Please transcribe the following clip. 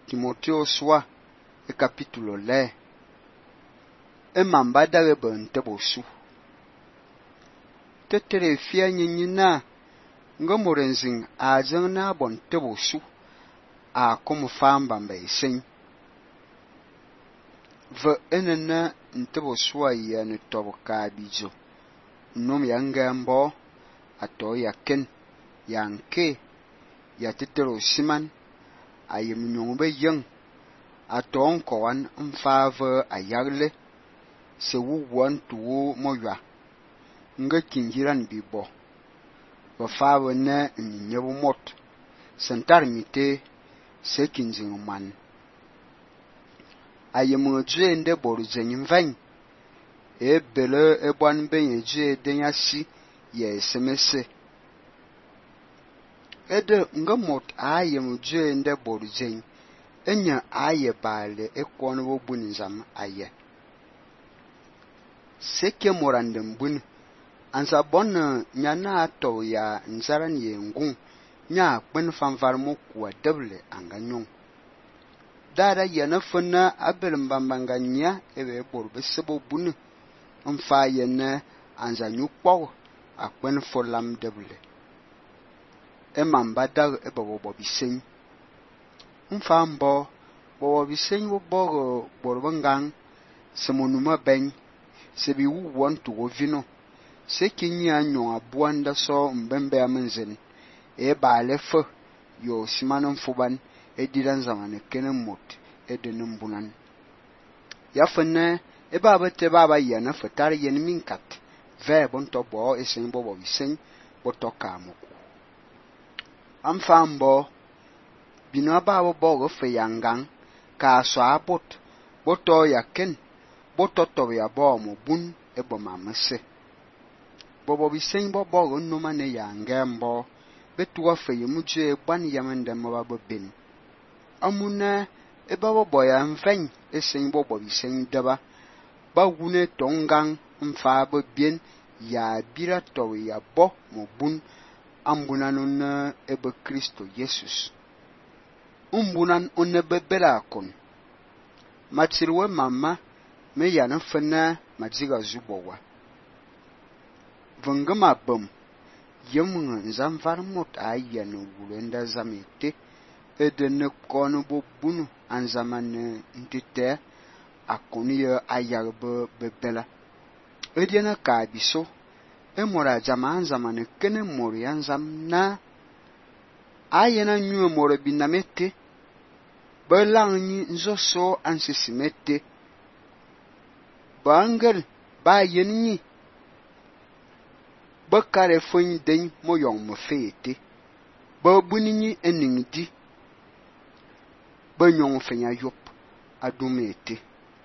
Timothée soi e capítulo le e mambada ge bente bosu tetere fia nyinyina ngomorenzing a zeng na bonte bosu a como famba mbeisin ve enena nte bosu ya ne toboka bizo nom ya ngambo ato ya ken yanke ya tetero siman ayem nyongbe yeng aton koan mfave ayagle se wuwon tuwo moya nga kinjiran bibo wa fave ne nyebu mot sentar mite se kinjing man ayem dje nde boru zenyim vain e bele e bon benye dje denya si ye semese ede nga mot ayem dje nde boru zeny enya aye bale e kon wo bunzam aye seke morandem bun ansa bon nyana ato ya nzaran ye ngun nya kpen fanvar mo kwa deble anganyong dara yana fana abel mbambanga nya ebe borbe sebo bun mfa yene anza nyukpo akpen folam deble e mambada e bobo bisen mfa mbo bobo bisen wo bogo borbangang semonuma ben sebi wu won to wo vino se kinya nyon abuanda so mbembe amenzen e baale fo yo simanon fuban e didan zamane kenen mot e denem bunan ya fene e baba te baba yana fatar yen minkat ve bon to bo e sen bobo bisen bo to kamuku am fambo bino baba bogo fe yangang ka so abot bo to ya ken bo to ya bo mo bun e bo mamese bobo bisen bo bogo no mane ya ngembo betuwa fe yemuje ban yamende mo baba bin amuna e baba boya mfen e sen bobo bisen daba ba wune tongang mfa bo bien ya bira to ya bo mo bun ambunanon e be Kristo Jesus umbunan onne bebela kon matsirwe mama me yana fena madziga zubowa vengama bam yemunga nzamvar mot ayanu wulenda zamete edene kono bo bunu anzamane ntite akoni ayarbe bebela ediana ka biso emora jama anzamane kene mori anzam na ayena nyu moro binamete belangi nzoso ansisimete bangel ba yenni bakare fon den moyon mo fete ba bunini eningdi ba nyon fenya yop adumete